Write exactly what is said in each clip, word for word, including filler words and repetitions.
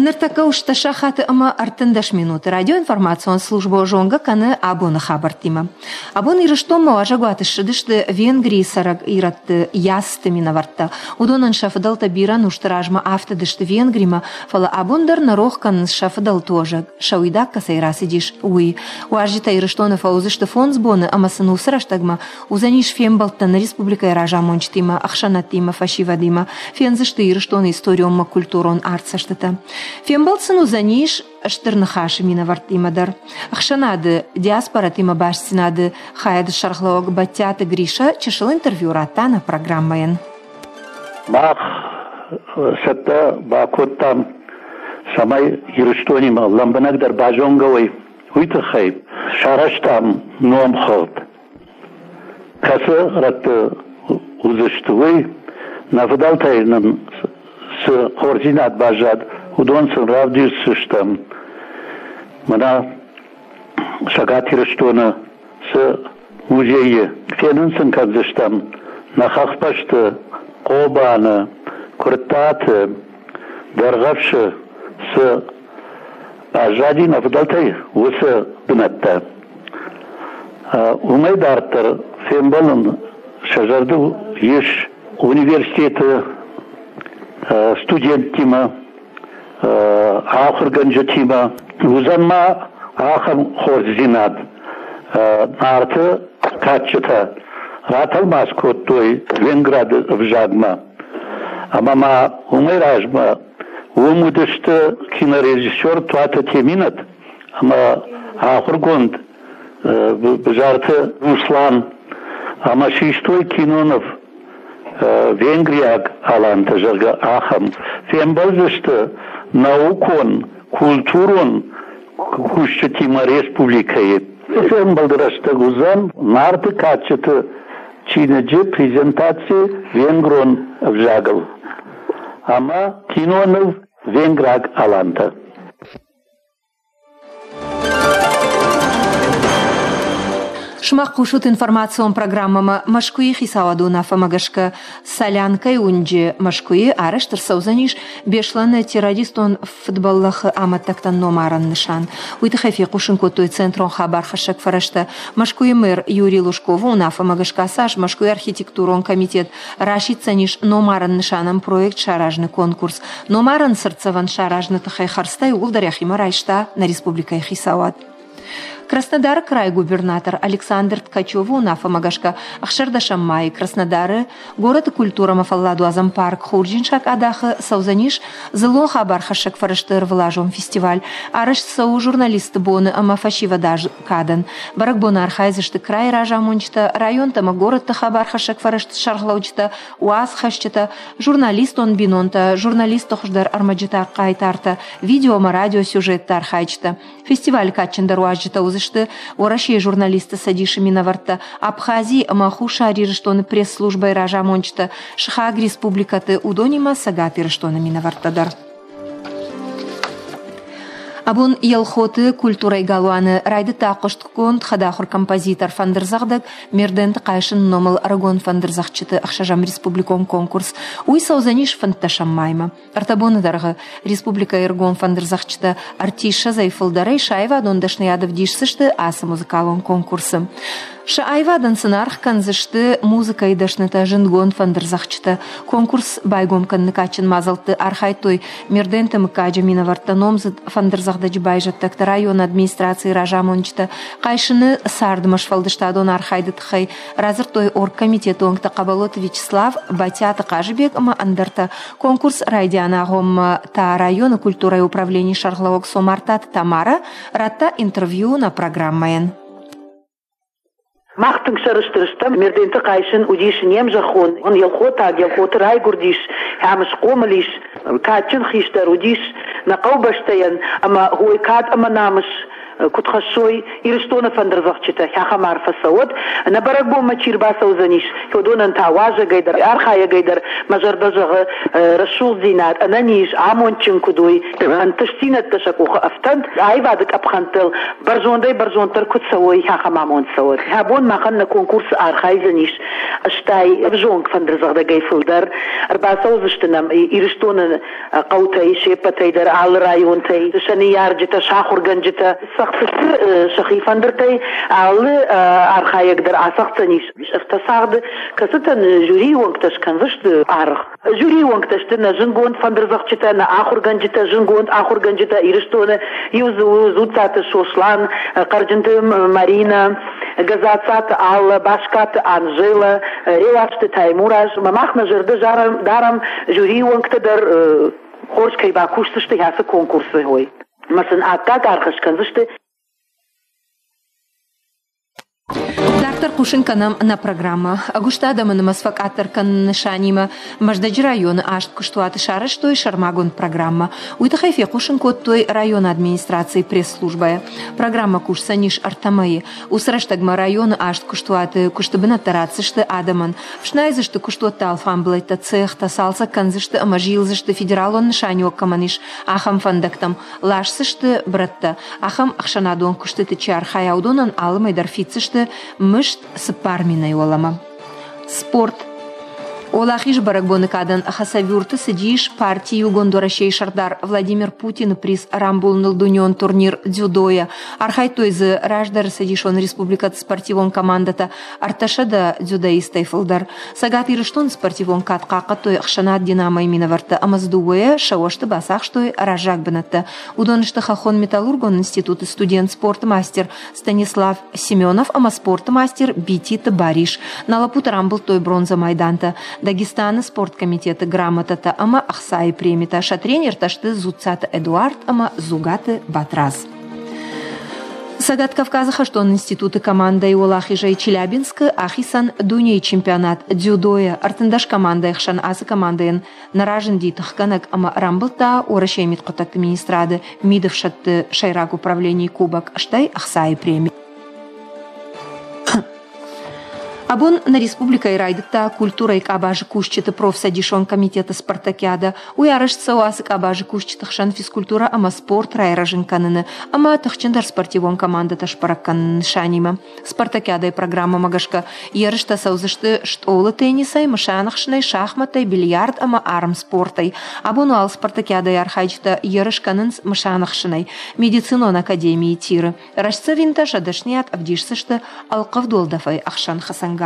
Ныртӕккӕ у сахаты ӕмӕ ӕртындӕс минуты. Радиоинформацион службӕ зонгӕ кӕны абоны хабӕрттимӕ. Абон Ирыстонмӕ уазӕгуаты ссыдысты Венгрийы цӕрӕг ирӕтты Яссты минӕвӕрттӕ. Уыдонӕн сӕ фыдӕлтӕ бирӕ ӕнусты размӕ афтыдысты Венгримӕ, фӕлӕ абон дӕр нӕ рох кӕнынц сӕ фыдӕлты уӕзӕг, сӕ уидаг кӕцӕй рацыдис, уый. Уазджытӕ Ирыстоны фӕуыдзысты фондз боны ӕмӕ сын уыцы рӕстӕгмӕ уыдзӕнис фембӕлдтӕ нӕ республикӕйы разамонджытимӕ, ӕхсӕнадтимӕ, фӕсивӕдимӕ, фендзысты Ирыстоны историонмӕ-культурон артдзӕстытӕ. Фембӕлд сын уыдзӕнис Стыр Ныхасы минӕвӕрттимӕ дӕр. Ӕхсӕнады диаспоратимӕ бастдзинады хайады сӕргълӕууӕг Бӕттиаты Гриша чысыл интервью радта нӕ программӕйӕн. Мах цӕттӕ бакодтам, цӕмӕй Ирыстонимӕ лӕмбынӕгдӕр базонгӕ уой, уый тыххӕй сарӕзтам номхыгъд, кӕцы рӕтты уыдзысты, уый. Нӕ фыдӕлтӕй нын цы хорздзинад баззад, уыдон сын равдисдзыстӕм. Мӕнӕ Цӕгат Ирыстоны цы музейы фенын сын кӕндзыстӕм нӕ хӕхбӕсты, Хъобаны, Куырттаты, Дӕргъӕвсы цы баззади нӕ фыдӕлтӕй, уыцы бынӕттӕ. Уымӕй дарддӕр фембӕлын сӕ зӕрдыл ис университеты студенттимӕ, ахуыргӕнджытимӕ. Уыдзӕн ма ахӕм хорздзинад. Нарты кадджытӕ ратӕлмац кодтой венграды ӕвзагмӕ. Ӕмӕ ма уымӕй размӕ уым уыдысты кинорежиссер Туаты Теминӕт ӕмӕ ахуыргонд Бзарты Руслан ӕмӕ систой киноныв венгриаг алантӕ, зӕгъгӕ, ахӕм. Фембӕлдзысты наукон, культурон кусджытимӕ республикӕйы. Фембӕлды рӕстӕг уыдзӕн Нарты кадджыты чиныджы презентаци венгрон ӕвзагыл ӕмӕ киноныв «Венграг алантӕ». Сымах хъусут информацион программӕмӕ. Мӕскуыйы хицауады уынаффӕмӕ гӕсгӕ Солянкӕйы уынджы Мӕскуыйы арӕзт ӕрцӕудзӕнис Беслӕны террористон фыдбӕллӕхы амӕттӕгтӕн номарӕн нысан. Уый тыххӕй фехъусын кодтой центрон хабархӕссӕг фӕрӕзтӕ. Мӕскуыйы мэр Юрий Лужковы уынаффӕмӕ гӕсгӕ ацы аз Мӕскуыйы архитектурон комитет расиддзӕнис номарӕн нысанӕн проект саразыны конкурс. Номарӕн цыртдзӕвӕн саразыны тыххӕй хӕрдзтӕ иууылдӕр йӕхимӕ райста нӕ республикӕйы хицауад. Краснодары крайы губернатор Александр Ткачевы уынаффӕмӕ гӕсгӕ ӕхсӕрдӕсӕм майы Краснодары горӕты культурӕмӕ фӕлладуадзӕн парк Хурджын сакъадахы цӕудзӕнис дзыллон хабархӕссӕг фӕрӕзты ӕрвылазон фестиваль. Арӕзт цӕуы журналистты боны ӕмӕ фӕсивӕды кадӕн. Бӕрӕгбоны архайдзысты крайы разамонджытӕ, районтӕ ӕмӕ горӕтты хабархӕссӕг фӕрӕзты сӕргълӕуджытӕ, уацхӕсджытӕ, журналистон бинонтӕ, журналистты хуыздӕр ӕрмӕджытӕ хъайтартӕ, видео ӕмӕ радиосюжетты архайджытӕ. Фестивалы кадджындӕр уазджытӕ уыдзысты Уӕрӕсейы журналистты цӕдисы минӕвӕрттӕ, Абхазийы ӕмӕ Хуссар Ирыстоны пресс-службӕйы разамонджытӕ, сыхаг республикӕты, уыдонимӕ Цӕгат Ирыстоны минӕвӕрттӕ дӕр. Абон Елхоты культурӕйы галуаны райдыдта хъуыстгонд хӕдахуыр композитор, фӕндырдзӕгъдӕг Мерденты Хъайсыны номыл ӕрыгон фӕндырдзӕгъдджыты ӕхсӕзӕм республикон конкурс. Уый цӕудзӕнис фынддӕсӕм маймӕ. Ӕртӕ боны дӕргъы республикӕйы ӕрыгон фӕндырдзӕгъдджытӕ ӕртиссӕдзӕй фылдӕрӕй сӕ аивадон дӕсныйад ӕвдисдзысты ацы музыкалон конкурсы. Сӕ аивадӕн сын аргъ кӕндзысты музыкӕйы дӕснытӕ, зындгонд фӕндырдзӕгъдджытӕ. Конкурс байгом кӕныны кадджын мадзӕлтты архайдтой Мерденты мыггаджы минӕвӕрттӕ, номдзыд фӕндырдзӕгъдӕджы байзӕддӕгтӕ, районы администрацийы разамонджытӕ. Хъайсыны цардмӕ сфӕлдыстадон архайды тыххӕй радзырдтой оргкомитеты уӕнгтӕ Хъӕбӕлоты Вячеслав, Батиаты Хъазыбег ӕмӕ ӕндӕртӕ. Конкурс райдианы агъоммӕ та районы культурӕйы управленийы сӕргълӕууӕг Цомартаты Тамара радта интервью нӕ программӕйӕн. Мах тынг сӕрыстыр стӕм. Мерденты Хъайсын уыдис не мзӕххон, елхотаг, Елхоты райгуырдис, ӕм схъомыл ис, кадджын хистӕр уыдис нӕ хъӕубӕстӕйӕн ӕмӕ хой кад ӕмӕ намыс Куыд хӕссой Ирыстоны фӕндырдзӕгъдджытӕ, ахӕм арфӕ цӕуӕд. Нӕ бӕрӕгбонмӕ чи рбацӕудзӕнис, уыдонӕн та уазӕгӕй дӕр, архайӕгӕй дӕр мӕ зӕрдӕ зӕгъы рӕсугъддзинад, ӕнӕниз, амондджын куыд уой, ӕнтыстдзинӕдтӕ сӕ къухы ӕфтӕнт, аивады къӕпхӕнтыл бӕрзондӕй бӕрзонддӕр куыд цӕуой, ахӕм амонд цӕуӕд. Абон махӕн нӕ конкурсы архайдзӕнис ӕстай ӕвзонг фӕндырдзӕгъдӕгӕй фылдӕр. Ӕрбацӕудзысты нӕм Ирыстоны хъӕутӕй, се ппӕтӕй дӕр, алы районтӕй, сӕ ныййарджытӕ, сӕ ахуыргӕнджытӕ цӕгъддзысты сӕхи фӕндыртӕй, алы архайӕг дӕр ацӕгъддзӕнис ӕртӕ цагъды, кӕцытӕн жюрийы уӕнгтӕ скӕндзысты аргъ. Жюрийы уӕнгтӕ сты нӕ зындгонд фӕндырдзӕгъдджытӕ, нӕ ахуыргӕнджытӕ, зындгонд ахуыргӕнджытӕ Ирыстоны. Иу дзы у Дзуццаты Сослан, Хъӕрджынты Маринӕ, Газацаты Алла, Баскаты Анжела, Реуазты Таймураз. Мах нӕ зӕрдӕ дарӕм, жюрийы уӕнгтӕ дӕр хорз кӕй бакусдзысты ацы конкурсы. Ӕмӕ сын аккаг аргъ скӕндзысты. Дарддӕр хъусын кӕнӕм нӕ программӕ. Ӕгуыст адӕмы нымӕц фӕкъаддӕр кӕныны нысанимӕ Мӕздӕджы районы аст куыстуаты сарӕзтой сӕрмагонд программӕ. Уый тыххӕй фехъусын кодтой районы администрацийы пресс-службӕйы. Программӕ кусдзӕнис ӕртӕ мӕйы. Уыцы рӕстӕгмӕ районы аст куыстуаты куысты бынӕттӕ ратдзысты адӕмӕн. Фснайдзысты куыстуӕтты алфамбылӕйттӕ, цехтӕ, цалцӕг кӕндзысты ӕмӕ зилдзысты федералон нысаниуӕг кӕмӕн ис, ахӕм фӕндӕгтӕм. Ласдзысты брӕттӕ. Ахӕм ӕхсӕнадон куыстыты чи архайа, уыдонӕн алы мӕй дӕр фиддзысты мызд цыппар минӕй уӕлӕмӕ. Спорт. Уӕлахизы бӕрӕгбоны кадӕн Хасавюрты цыдис парти Иугонд Уӕрӕсейы сӕрдар Владимир Путины приз рамбулыныл дунеон турнир дзюдойӕ. Архайдтой дзы раздӕры цӕдисон республикӕты спортивон командӕтӕ ӕртӕсӕдӕ дзюдоисттӕй фылдӕр. Цӕгат Ирыстоны спортивон кад хъахъхъӕдтой ӕхсӕнад «Динамо»-йы минӕвӕрттӕ ӕмӕ дзы дыууӕйӕ сӕ уӕзты бацахстой раззаг бынӕттӕ. Уыдон сты Хӕххон металлургон институты студент, спорты мастер Станислав Семенов ӕмӕ спорты мастер Бититы Барис. Нӕ лӕппутӕ рамбылдтой бронзӕ майдантӕ, Дагестаны спорткомитеты грамотӕтӕ ӕмӕ ӕхцайы премитӕ. Сӕ тренертӕ сты Дзуццаты Эдуард ӕмӕ Дзугаты Батрадз. Цӕгат Кавказы хӕстон институты командӕйы уӕлахизӕй Челябинскы ахицӕн дунейы чемпионат дзюдойӕ. Ӕртындӕс командӕйы хсӕн ацы командӕйӕн нӕ разынди тыхгӕнӕг ӕмӕ рамбылдта Уӕрӕсейы мидхъуыддӕгты министрады мидӕфсӕдты сӕйраг управленийы кубок, стӕй ӕхцайы преми. Абон нӕ республикӕйы райдыдта культурӕйы къабазы кусджыты профцӕдисон комитеты спартакиада. Уый арӕзт цӕуы ацы къабазы кусджыты хсӕн физкультурӕ ӕмӕ спорт райрӕзын кӕныны ӕмӕ тыхджындӕр спортивон командӕтӕ сбӕрӕг кӕныны нысанимӕ. Спартакиадӕйы программӕмӕ гӕсгӕ ерыстӕ цӕудзысты стъолы теннисӕй, мысанӕхсынӕй, шахматтӕй, бильярд ӕмӕ армспортӕй. Абон уал спартакиадӕйы архайджытӕ ерыс кӕнынц мысанӕхсынӕй медицинон академийы тиры. Рӕстдзӕвинтӕ сӕ дӕсныйад ӕвдисдзысты ӕлхъывд уӕлдӕфӕй ӕхсӕн хӕцӕнгарзӕй.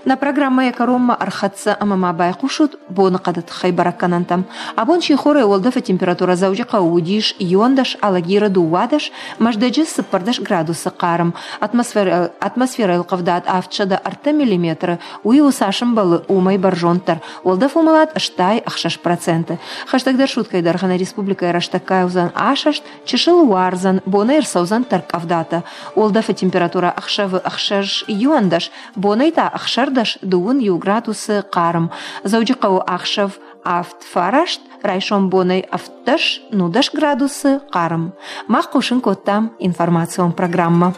Нӕ программӕйы кӕронмӕ ӕрхӕццӕ ӕмӕ ма байхъусут боныхъӕды тыххӕй бӕрӕггӕнӕнтӕм. Абон сихорӕй уӕлдӕфы температурӕ Дзӕуджыхъӕуы уыдис иуӕндӕс, Алагиры дыууадӕс, Мӕздӕджы цыппӕрдӕс градусы хъарм. Атмосферӕйыл ӕлхъывдад авдсӕдӕ ӕртӕ миллиметры, уый у цас ӕмбӕлы, уымӕй бӕрзонддӕр. Уӕлдӕф уымӕлад ӕстай ӕхсӕз проценты. Хӕстӕгдӕр суткӕйы дӕргъы нӕ республикӕйы рӕстӕггай уыдзӕн асӕст, чысыл уардзӕн, бонӕй ӕрцӕудзӕн тӕрккъӕвдатӕ. Уӕлдӕфы температурӕ ӕхсӕвы ӕхсӕз иуӕндӕс, бонӕй та ӕхсӕрдӕс дыууын иу градусы хъарм. Дзӕуджыхъӕуы ӕхсӕв авд фараст, райсом бонӕй ӕвддӕс нудӕс градусы хъарм. Мах хъусын кодтам информацион программӕ.